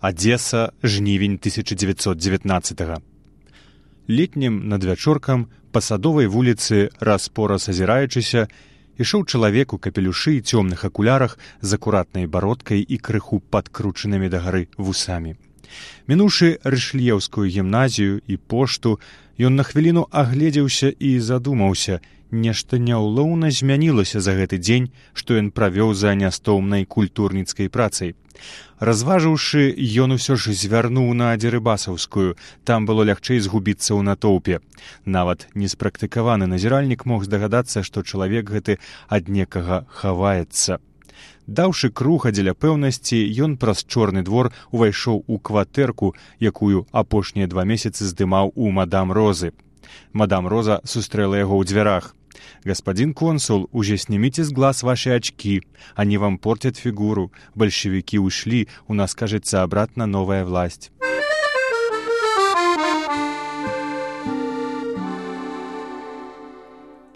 Адзеса, жнівень 1919-го. Летнім надвячоркам па Садовай вуліцы, раз-пораз азіраючыся, ішоў чалавек у капелюшы і цёмных акулярах з акуратнай бародкай і крыху падкручанымі дагары вусамі. Мінуўшы Рышлеўскую гімназію і пошту, ён на хвіліну агледзеўся і задумаўся, нешта няўлоўна змянілася за гэты дзень, што ён правёў за нястомнай культурніцкай працай. Разважыўшы, ён усё ж звярнуў на Дзерыбасаўскую, там было лягчэй згубіцца ў натоўпе. Нават неспрактыкаваны назіральнік мог здагадацца, што чалавек гэты ад некага хаваецца. Даўшы круга дзеля пэўнасці, ён праз чорны двор увайшоў у кватэрку, якую апошнія 2 месяцы здымаў у мадам Розы. Мадам Роза сустрэла яго ў дзвярах. «Господин консул, уже снимите с глаз ваши очки. Они вам портят фигуру. Большевики ушли, у нас, кажется, обратно новая власть».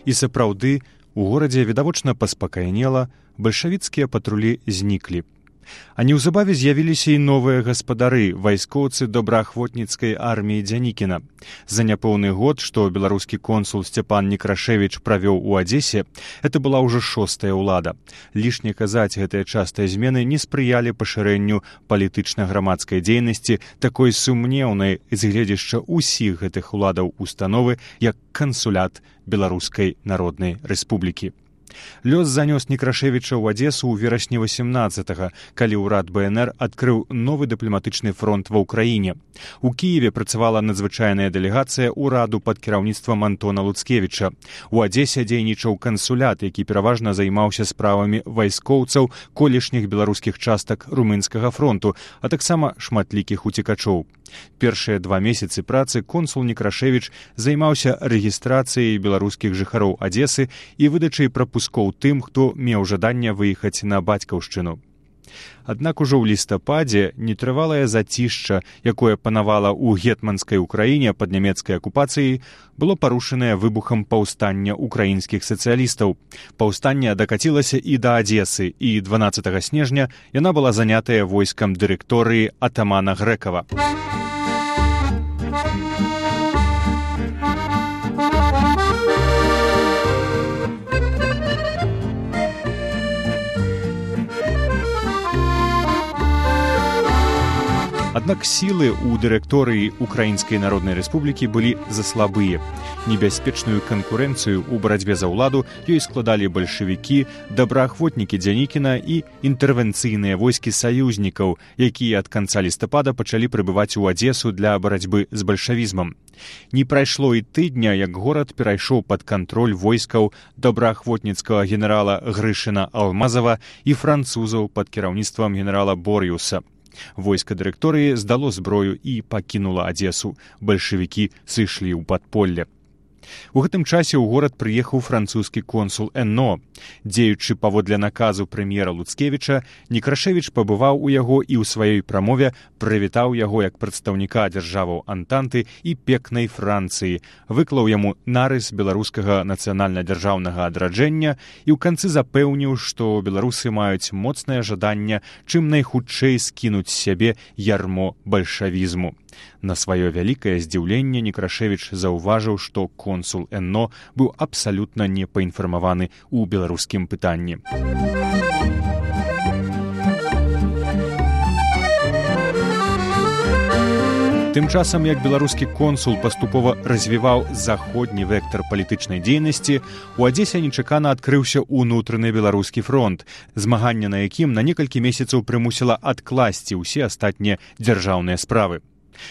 І сапраўды, у горадзе відавочна паспакайнела, бальшавіцкія патрулі зніклі. А неўзабаве з'явіліся і новыя гаспадары, вайскоўцы добраахвотніцкай арміі Дзянікіна. За няпоўны год, што беларускі консул Сцяпан Некрашевіч правёў у Адзесе, это была ўжо 6-я ўлада. Лішне казаць, гэтыя частыя змены не спрыялі пашырэнню палітычна-грамадскай дзейнасці, такой сумнеўнай з гледзяшча ўсіх гэтых уладаў установы, як кансулят Беларускай Народнай Рэспублікі. Лёс занёс Некрашевіча ў Адзесу ў верасні 18-го, калі ўрад БНР адкрыў новы дыпламатычны фронт ва ўкраіне. У Кіеве працавала надзвычайная дэлегацыя ўраду пад кіраўніцтвам Антона Луцкевіча. У Адзесе дзейнічаў кансулят, які пераважна займаўся справамі вайскоўцаў колішніх беларускіх частак румынскага фронту, а таксама шматлікіх уцекачоў. Першыя 2 месяцы працы консул Некрашевіч займаўся рэгістрацыяй беларускіх жыхароў Адзесы і выдачай прапускоў тым, хто меў жаданне выехаць на бацькаўшчыну. Аднак ужо ў лістападзе нетрывалае зацішча, якое панавала ў гетманскай Украіне пад нямецкай акупацыяй, было парушанае выбухам паўстання украінскіх сацыялістаў. Паўстанне дакацілася і да Адзесы, і 12 снежня яна была занятая войскам дырэкторыі атамана Грэкава. Аднак сілы ў дырэкторыі Украінскай Народнай Рэспублікі былі заслабыя. Небяспечную канкурэнцыю ў барацьбе за ўладу ёй складалі бальшавікі, добраахвотнікі Дзянікіна і інтэрвенцыйныя войскі саюзнікаў, якія ад канца лістапада пачалі прыбываць у Адзесу для барацьбы з бальшавізмам. Не прайшло і тыдня, як горад перайшоў пад кантроль войскаў добраахвотніцкага генерала Грышына Алмазава і французаў пад кіраўніцтвам генерала Бор'юса. Войска дырэкторыі здало зброю і пакінула Адзесу. Бальшавікі сышлі ў падполле. У гэтым часе ў горад прыехаў французскі консул Эно. Дзеючы паводле наказу прэм'ера Луцкевіча, Некрашевіч пабываў у яго і ў сваёй прамове прывітаў яго як прадстаўніка дзяржаваў Антанты і пекнай Францыі, выклаў яму нарыс беларускага нацыянальна-дзяржаўнага адраджэння і ў канцы запэўніў, што беларусы маюць моцнае жаданне чым найхутчэй скінуць з сябе ярмо бальшавізму. На сваё вялікае здзіўленне Некрашевіч заўважыў, што консул Эно быў абсалютна не паінфармаваны ў беларускім пытанні. Тым часам, як беларускі консул паступова развіваў заходні вектар палітычнай дзейнасці, у Адзесе нечакана адкрыўся ўнутраны беларускі фронт, змаганне на якім на некалькі месяцаў прымусіла адкласці ўсе астатнія дзяржаўныя справы.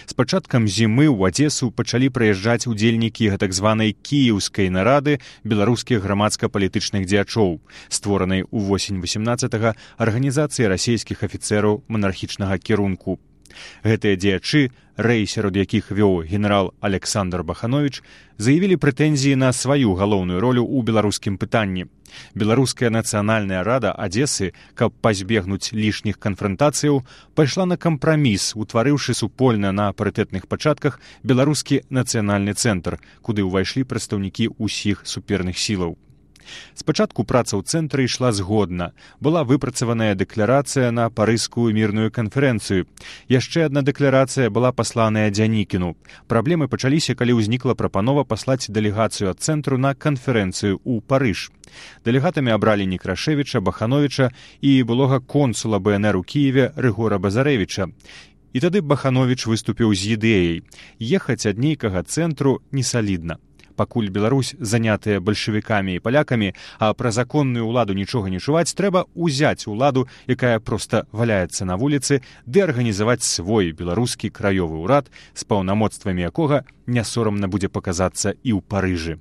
З пачаткам зімы ў Адзесу пачалі прыязджаць удзельнікі гэтак званай кіеўскай нарады беларускіх грамадска-палітычных дзеячоў, створанай у восень 18-го арганізацыі расейскіх афіцэраў манархічнага кірунку. Гэтыя дзеячы, рэй сярод якіх вёў генерал Александр Бахановіч, заявілі прэтэнзіі на сваю галоўную ролю ў беларускім пытанні. Беларуская нацыянальная рада Адзесы, каб пазбегнуць лішніх канфрантацыяў, пайшла на кампраміс, утварыўшы супольна на парытэтных пачатках беларускі нацыянальны цэнтр, куды ўвайшлі прадстаўнікі ўсіх суперных сілаў. Спачатку праца ў цэнтры ішла згодна. Была выпрацаваная дэкларацыя на парыжскую мірную канферэнцыю. Яшчэ адна дэкларацыя была пасланая Дзянікіну. Праблемы пачаліся, калі ўзнікла прапанова паслаць дэлегацыю ад цэнтру на канферэнцыю ў Парыж. Дэлегатамі абралі Некрашевіча, Бахановіча і былога консула БНР у Кіеве Рыгора Базарэвіча. І тады Бахановіч выступіў з ідэяй. Ехаць ад нейкага цэнтру несалідна. Пакуль Беларусь занятая бальшавікамі і палякамі, а пра законную ўладу нічога не чуваць, трэба ўзяць уладу, якая проста валяецца на вуліцы, ды арганізаваць свой беларускі краёвы ўрад, з паўнамоцтвамі якога не сорамна будзе паказацца і ў Парыжы.